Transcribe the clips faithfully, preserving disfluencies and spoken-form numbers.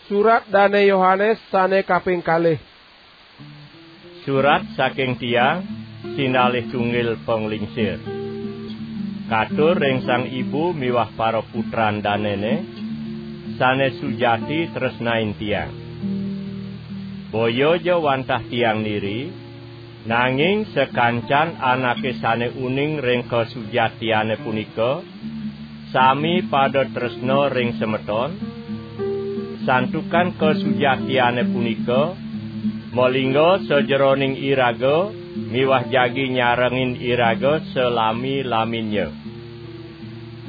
Surat Dane Yohanes sane kaping kalih. Surat saking tiang, sinalih tunggil panglingsir. Katur ring Sang Ibu miwah para putran danene, sane sujati tresnain tiang. Boya ja wantah tiang niri, nanging sakancan anake sane uning ring kasujatiane punika, sami pada tresna ring semeton, santukan kasujatiane punika malingga sajeroning iraga miwah jagi nyarengin iraga salami-laminnya.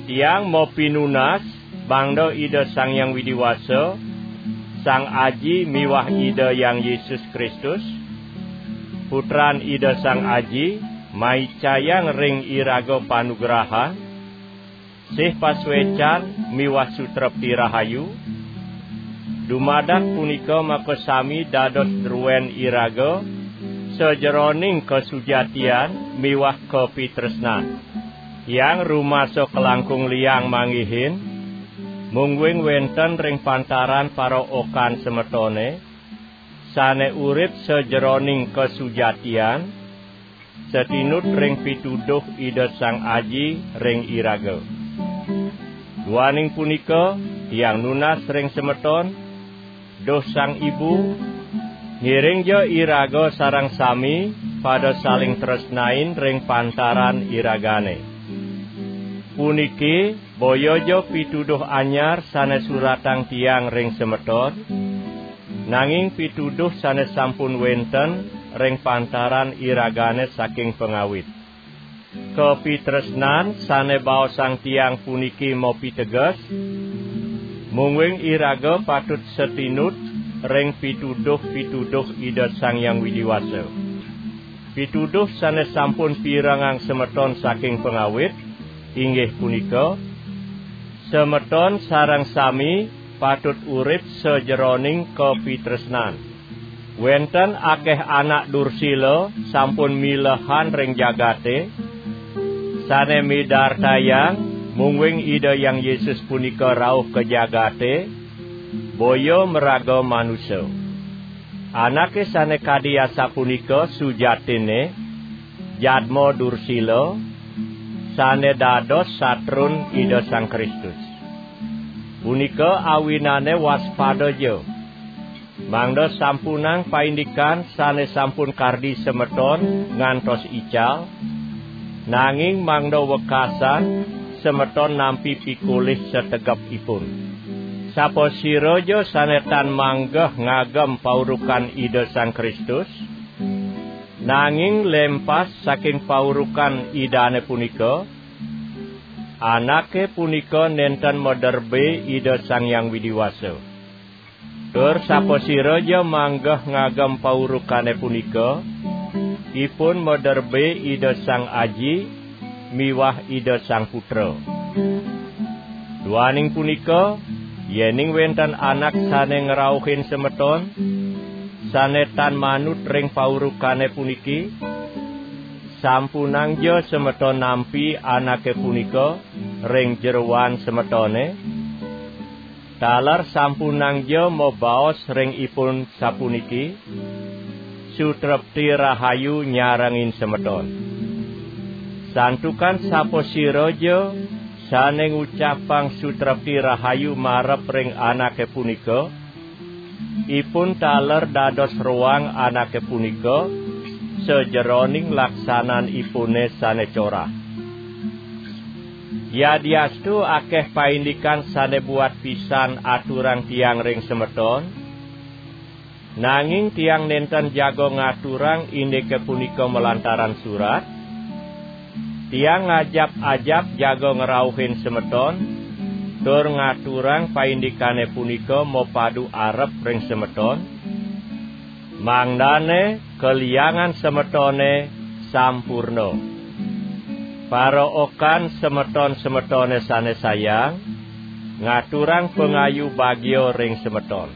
Tiang mapinunas, mangda Ida Sang Hyang Widi Wasa, Sang Aji miwah Ida Hyang Yesus Kristus, Putran Ida Sang Aji, maicayang ring iraga panugrahan, sih pasuecan miwah sutrepti rahayu. Dumadak punika makasami dados druen iraga sajeroning kasujatian miwah kapitresnan. Tiang rumasa kalangkung liang manggihin, mungguing wenten ring pantaran paraokan semetone, sane urip sajeroning kasujatian, satinut ring pituduh Ida Sang Aji ring iraga. Duaning punika, tiang nunas ring semeton, duh Sang Ibu, ngiringja iraga sareng sami pada saling tresnain ring pantaran iragane. Puniki boya ja pituduh anyar sane suratang tiang ring semeton, nanging pituduh sane sampun wenten ring pantaran iragane saking pangawit. Kapitresnan sane baosang tiang puniki mapiteges, mungguing iraga patut satinut ring pituduh-pituduh Ida Sang Hyang Widi Wasa. Pituduh sane sampun pirengang semeton saking pangawit, inggih punika, semeton sareng sami patut urip sajeroning kapitresnan. Wenten akeh anak dursila sampun milehan ring jagate, sane midartayang mungguing Ida Hyang Yesus punika rauh ka jagate, boya maraga manusa. Anake sane kadi asapunika sujatinne jadma dursila, sane dados satrun Ida Sang Kristus. Punika awinane waspada ja, mangda sampunang paindikan sane sampun kardi semeton ngantos ical, nanging mangda wekasan semeton nampi pikolih sategepipun. Sapasira ja sane tan manggeh ngagem paurukan Ida Sang Kristus, nanging lempas saking paurukan Idane punika, anake punika nenten maderbe Ida Sang Hyang Widi Wasa. Tur sapasira ja manggeh ngagem paurukane punika, ipun maderbe Ida Sang Aji miwah Ida Sang Putra. Duaning punika, yening wenten anak sane ngrauhin semeton, sane tan manut ring paurukane puniki, sampunangja semeton nampi anake punika ring jeroan semetone, taler sampunangja mabaos ring ipun sapuniki, "Sutrepti rahayu nyarengin semeton." Santukan sapasira ja sane ngucapang sutrepti rahayu marep ring anake punika, ipun taler dados roang anake punika sajeroning laksananipune sane corah. Yadiastu akeh paindikan sane buat pisan aturang tiang ring semeton, nanging tiang nenten jaga ngaturang indike punika malantaran surat. Tiang ngajap-ajap jaga ngrauhin semeton, tur ngaturang paindikane punika mapadu arep ring semeton, mangdane kaliangan semetone sampurna. Paraokan semeton-semetone sane sayang, ngaturang pangayu bagia ring semeton.